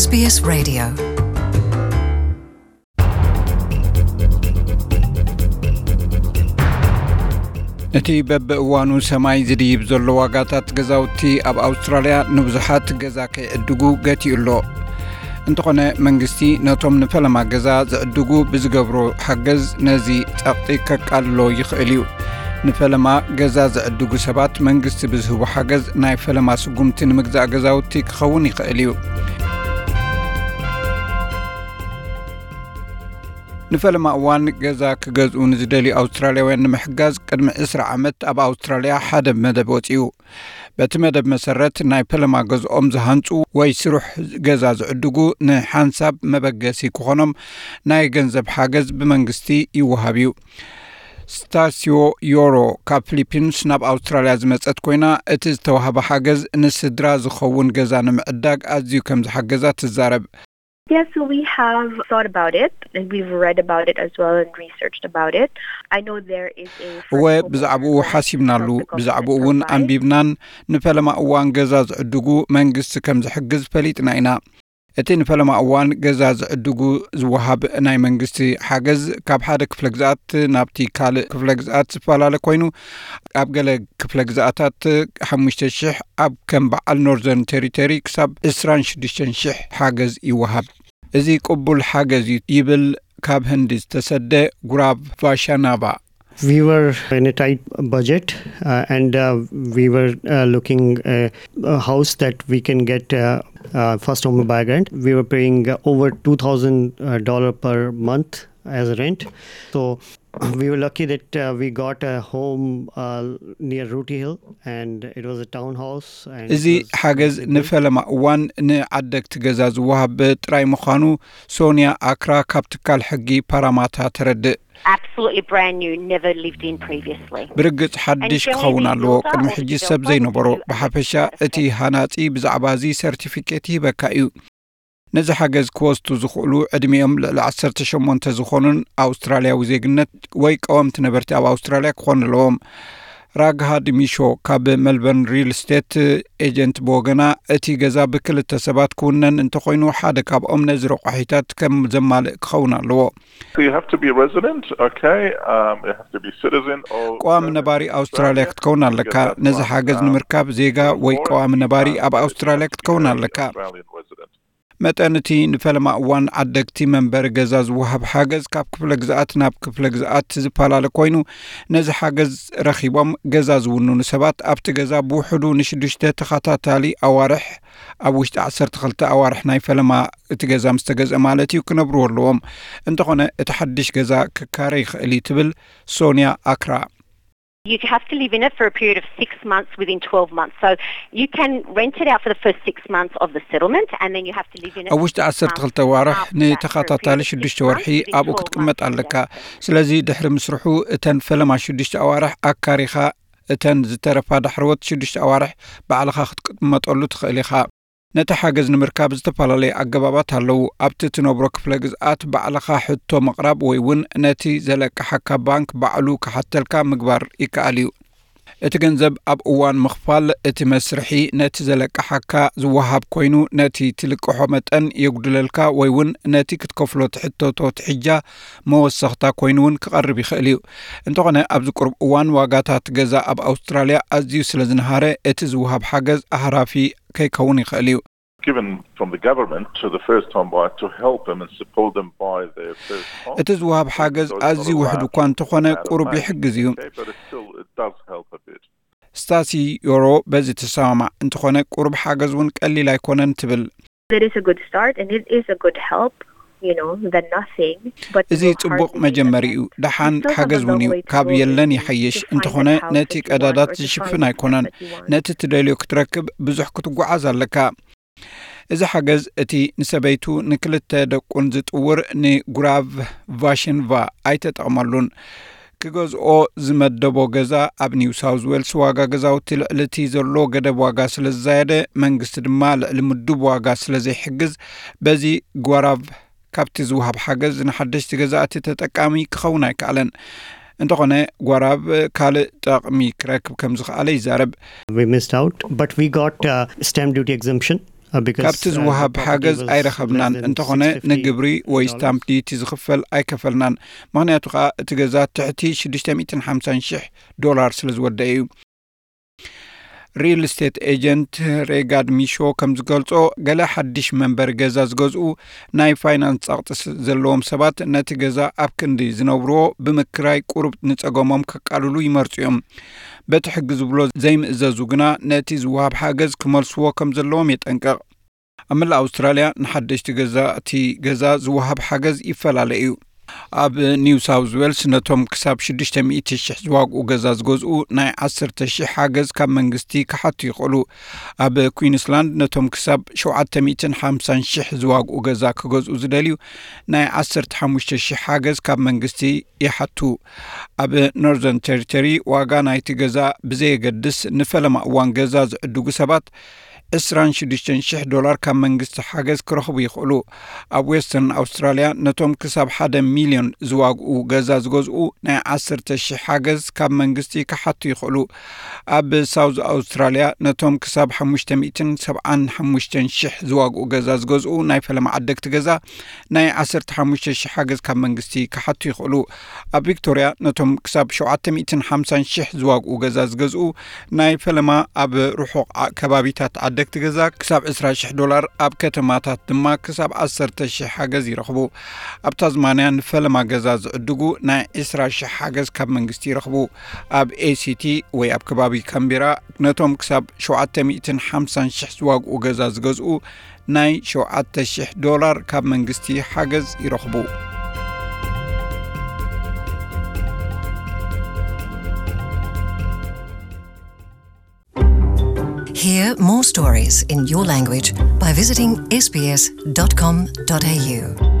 SBS Radio. እቲ በብእዋኑ ሰማይ ዝድይብ ዘሎ ዋጋታት ገዛውቲ ኣብ ኣውስትራልያ ንብዙሓት ገዛ ከይዕድጉ ገቲኡ ኣሎ። እንተኾነ መንግስቲ ነቶም ንፈለማ ገዛ ዝዕድጉ ብዝገብሮ ሓገዝ ነዚ ጸቕጢ ከቃልሎ ይኽእል እዩ። ንፈለማ ገዛ ዝዕድጉ ሰባት መንግስቲ ብዝህቦ ሓገዝ ናይ ፈለማ ስጉምቲ ንምግዛእ ገዛውቲ ክኸውን ይኽእል እዩ። ንፈለማ እዋን ገዛ ክገዝኡ ንዝደልዩ ኣውስትራልያውያን ንምሕጋዝ ቅድሚ ዕስራ ዓመት ኣብ ኣውስትራልያ ሓደ መደብ ወጺኡ። በቲ መደብ መሰረት ናይ ፈለማ ገዝኦም ዝሃንጹ ወይ ስሩሕ ገዛ ዝዕድጉ ንሓንሳብ መበገሲ ክኾኖም ናይ ገንዘብ ሓገዝ ብመንግስቲ ይወሃብ እዩ። ስታሲዮ ዮሮ ካብ ፊሊፒንስ ናብ ኣውስትራልያ ዝመጸት ኮይና፣ እቲ ዝተዋህበ ሓገዝ ንስድራ ዝኸውን ገዛ ንምዕዳግ ኣዝዩ ከም ዝሓገዛ ትዛረብ። Yes, so we have thought about it and we've read about it as well and researched about it. I know there is a እወ፣ ብዛዕባኡ ሓሲብናሉ፣ ብዛዕባኡ እውን ኣንቢብናን። ንፈለማ እዋን ገዛ ዝዕድጉ መንግስቲ ከም ዝሕግዝ ፈሊጥና ኢና። እቲ ንፈለማ እዋን ገዛ ዝዕድጉ ዝወሃብ ናይ መንግስቲ ሓገዝ ካብ ሓደ ክፍለ ግዝኣት ናብቲ ካልእ ክፍለ ግዝኣት ዝፈላለ ኮይኑ፣ ኣብ ገለ ክፍለ ግዝኣታት ሓሙሽተ ሽሕ፣ ኣብ ከም በዓል ኖርዘርን ቴሪቶሪ ክሳብ ዕስራን ሽዱሽተን ሽሕ ሓገዝ ይወሃብ። እዚ ቅቡል ሓገዝ እዩ ይብል ካብ ህንዲ ዝተሰደ ጉራብ ቫሻናቫ። We were in a tight budget, uh, and uh, we were uh, looking uh, a house that we can get uh, uh, first home buyer grant. We were paying uh, over two thousand uh, dollar per month as rent. So we were lucky that uh, we got a home uh, near Rooty Hill, and it was a townhouse. And እዚ ሓገዝ ንፈለማ እዋን ንዓደግቲ ገዛ ዝወሃብ ጥራይ ምዃኑ ሶንያ ኣክራ ካብ ትካል ሕጊ ፓራማታ ተረድእ። Absolutely brand new, never lived in previously. ብርግጽ ሓድሽ ክኸውን ኣለዎ። ቅድሚ ሕጂ ሰብ ዘይነበሮ። ብሓፈሻ እቲ ሃናጺ ብዛዕባ እዚ ሰርቲፊኬት ይህበካ እዩ። ነዚ ሓገዝ ክወስዱ ዝኽእሉ ዕድሚኦም ልዕሊ ዓሰርተ ሸሞንተ ዝኾኑን ኣውስትራልያዊ ዜግነት ወይ ቀወምቲ ነበርቲ ኣብ ኣውስትራልያ ክኾኑ ኣለዎም። ራግሃድ ሚሾ ካብ መልበርን ሪል ስቴት ኤጀንት ብወገና፣ እቲ ገዛ ብክልተ ሰባት ክውነን እንተኾይኑ ሓደ ካብኦም ነዚ ረቋሒታት ከም ዘማልእ ክኸውን ኣለዎ። So you have to be a resident, okay? Um, you have to be citizen or ቋሚ ነባሪ ኣውስትራልያ ክትከውን ኣለካ። ነዚ ሓገዝ ንምርካብ ዜጋ ወይ ቋሚ ነባሪ ኣብ ኣውስትራልያ ክትከውን ኣለካ። መጠን እቲ ንፈለማ እዋን ዓደግቲ መንበሪ ገዛ ዝወሃብ ሓገዝ ካብ ክፍለ ግዝኣት ናብ ክፍለ ግዝኣት ዝፈላለ ኮይኑ፣ ነዚ ሓገዝ ረኺቦም ገዛ ዝውንኑ ሰባት ኣብቲ ገዛ ብውሕዱ ንሽዱሽተ ተኸታታሊ ኣዋርሕ፣ ኣብ ውሽጢ ዓሰርተ ክልተ ኣዋርሕ ናይ ፈለማ እቲ ገዛ ምስ ተገዝአ ማለት እዩ፣ ክነብርዎ ኣለዎም። እንተኾነ እቲ ሓድሽ ገዛ ክካረ ይኽእል እዩ ትብል ሶንያ ኣክራ። You have to live in it for a period of six months within twelve months. So you can rent it out for the first six months of the settlement, and then you have to live in it. ኣብ ውሽጢ ዓሰርተ ክልተ ኣዋርሕ ንተኸታታሊ ሽዱሽተ ወርሒ ኣብኡ ክትቅመጥ ኣለካ። ስለዚ ድሕሪ ምስርሑ እተን ፈለማ ሽዱሽተ ኣዋርሕ ኣካሪኻ፣ እተን ዝተረፋ ዳሕረዎት ሽዱሽተ ኣዋርሕ ባዕልኻ ክትቅመጠሉ ትኽእል ኢኻ። ነቲ ሓገዝ ንምርካብ ዝተፈላለዩ ኣገባባት ኣለዉ። ኣብቲ ትነብሮ ክፍለ ግዝኣት ባዕልኻ ሕቶ ምቕራብ ወይ እውን ነቲ ዘለቅሓካ ባንክ ባዕሉ ክሓተልካ ምግባር ይከኣል እዩ። እቲ ገንዘብ ኣብ እዋን ምኽፋል እቲ መስርሒ ነቲ ዘለቅሓካ ዝወሃብ ኮይኑ፣ ነቲ ትልቅሖ መጠን የጉድለልካ ወይ እውን ነቲ ክትከፍሎ ትሕተቶ ትሕጃ መወሰኽታ ኮይኑ እውን ክቐርብ ይኽእል እዩ። እንተኾነ ኣብዚ ቁሩብ እዋን ዋጋታት ገዛ ኣብ ኣውስትራልያ ኣዝዩ ስለ ዝነሃረ እቲ ዝወሃብ ሓገዝ ኣህራፊ ከይከውን ይኽእል እዩ። Given from the government to the first home buyer to help them and support them buy their first home. እቲ ዝወሃብ ሓገዝ ኣዝዩ ውሕድ እኳ እንተኾነ ቁሩብ ይሕግዝ እዩ። Okay, but it still, it does help a bit. ስታሲ ዮሮ በዚ ትሰማማዕ። እንተኾነ ቁሩብ ሓገዝ እውን ቀሊል ኣይኮነን ትብል። It is a good start and it is a good help, you know, than nothing. But እዚ ጽቡቕ መጀመሪ እዩ። ደሓን ሓገዝ እውን እዩ። ካብ የለን ይሓይሽ። እንተኾነ ነቲ ቀዳዳት ዝሽፍን ኣይኮነን። ነቲ ትደልዮ ክትረክብ ብዙሕ ክትጓዓዝ ኣለካ። እዚ ሓገዝ እቲ ንሰበይቱ ንክልተ ደቁን ዝጥውር ንጉራቭ ቫሽንቫ ኣይተጠቕመሉን። ክገዝኦ ዝመደቦ ገዛ ኣብ ኒው ሳውዝ ዌልስ ዋጋ ገዛውቲ ልዕሊ እቲ ዘሎ ገደብ ዋጋ ስለ ዝዛየደ፣ መንግስቲ ድማ ልዕሊ ምዱብ ዋጋ ስለ ዘይሕግዝ፣ በዚ ጓራቭ ካብቲ ዝወሃብ ሓገዝ ንሓደሽቲ ገዛእቲ ተጠቃሚ ክኸውን ኣይከኣለን። እንተኾነ ጓራቭ ካልእ ጠቕሚ ክረክብ ከም ዝኸኣለ ይዛረብ። We missed out, but we got uh, stamp duty exemption. ካብቲ ዝወሃብ ሓገዝ ኣይረኸብናን። እንተኾነ ንግብሪ ወይ ስታምፕ ዲቲ ዝኽፈል ኣይከፈልናን። ምኽንያቱ ከዓ እቲ ገዛ ትሕቲ ሽዱሽተ ሚእትን ሓምሳን ሽሕ ዶላር ስለ ዝወደአ እዩ። ሪል ስቴት ኤጀንት ሬጋድ ሚሾ ከም ዝገልጾ፣ ገለ ሓድሽ መንበሪ ገዛ ዝገዝኡ ናይ ፋይናንስ ጸቕጢ ስ- ዘለዎም ሰባት ነቲ ገዛ ኣብ ክንዲ ዝነብርዎ ብምክራይ ቁሩብ ንጸገሞም ከቃልሉ ይመርጹ እዮም። በቲ ሕጊ ዝብሎ ዘይምእዘዙ ግና ነቲ ዝወሃብ ሓገዝ ክመልስዎ ከም ዘለዎም የጠንቅቕ። ኣብ መላእ ኣውስትራልያ ንሓደሽቲ ገዛእቲ ገዛ ዝወሃብ ሓገዝ ይፈላለ እዩ። ኣብ ኒው ሳውዝ ዌልስ ነቶም ክሳብ ሽዱሽተ ሚእቲ ሽሕ ዝዋግኡ ገዛ ዝገዝኡ ናይ ዓሰርተ ሽሕ ሓገዝ ካብ መንግስቲ ክሓቱ ይኽእሉ። ኣብ ኩዊንስላንድ ነቶም ክሳብ ሸውዓተ ሚእትን ሓምሳን ሽሕ ዝዋግኡ ገዛ ክገዝኡ ዝደልዩ ናይ ዓሰርተ ሓሙሽተ ሽሕ ሓገዝ ካብ መንግስቲ ይሓቱ። ኣብ ኖርዘርን ቴሪቶሪ ዋጋ ናይቲ ገዛ ብዘየገድስ ንፈለማ እዋን ገዛ ዝዕድጉ ሰባት ዕስራን ሽዱሽተን ሽሕ ዶላር ካብ መንግስቲ ሓገዝ ክረኽቡ ይኽእሉ። ኣብ ዌስተርን ኣውስትራልያ ነቶም ክሳብ ሓደ ሚልዮን ዝዋግኡ ገዛ ዝገዝኡ ናይ ዓሰርተ ሽሕ ሓገዝ ካብ መንግስቲ ክሓቱ ይኽእሉ። ኣብ ሳውዝ ኣውስትራልያ ነቶም ክሳብ ሓሙሽተ ሚእትን ሰብዓን ሓሙሽተን ሽሕ ዝዋግኡ ገዛ ዝገዝኡ ናይ ፈለማ ዓደግቲ ገዛ ናይ ዓሰርተ ሓሙሽተ ሽሕ ሓገዝ ካብ መንግስቲ ክሓቱ ይኽእሉ። ኣብ ቪክቶርያ ነቶም ክሳብ ሸውዓተ ሚእትን ሓምሳን ሽሕ ዝዋግኡ ገዛ ዝገዝኡ ናይ ፈለማ ኣብ ርሑቕ ዓ- ከባቢታት ዓደግቲ ገዛ ክሳብ ዕስራ ሽሕ ዶላር፣ ኣብ ከተማታት ድማ ክሳብ ዓሰርተ ሽሕ ሓገዝ ይረኽቡ። ኣብ ታዝማንያ ንፈለማ ገዛ ዝዕድጉ ናይ ዕስራ ሽሕ ሓገዝ ካብ መንግስቲ ይረኽቡ። ኣብ ኤሲቲ ወይ ኣብ ከባቢ ካምቤራ ነቶም ክሳብ ሸውዓተ ሚእትን ሓምሳን ሽሕ ዝዋግኡ ገዛ ዝገዝኡ ናይ ሸውዓተ ሽሕ ዶላር ካብ መንግስቲ ሓገዝ ይረኽቡ። Hear more stories in your language by visiting S B S dot com dot A U.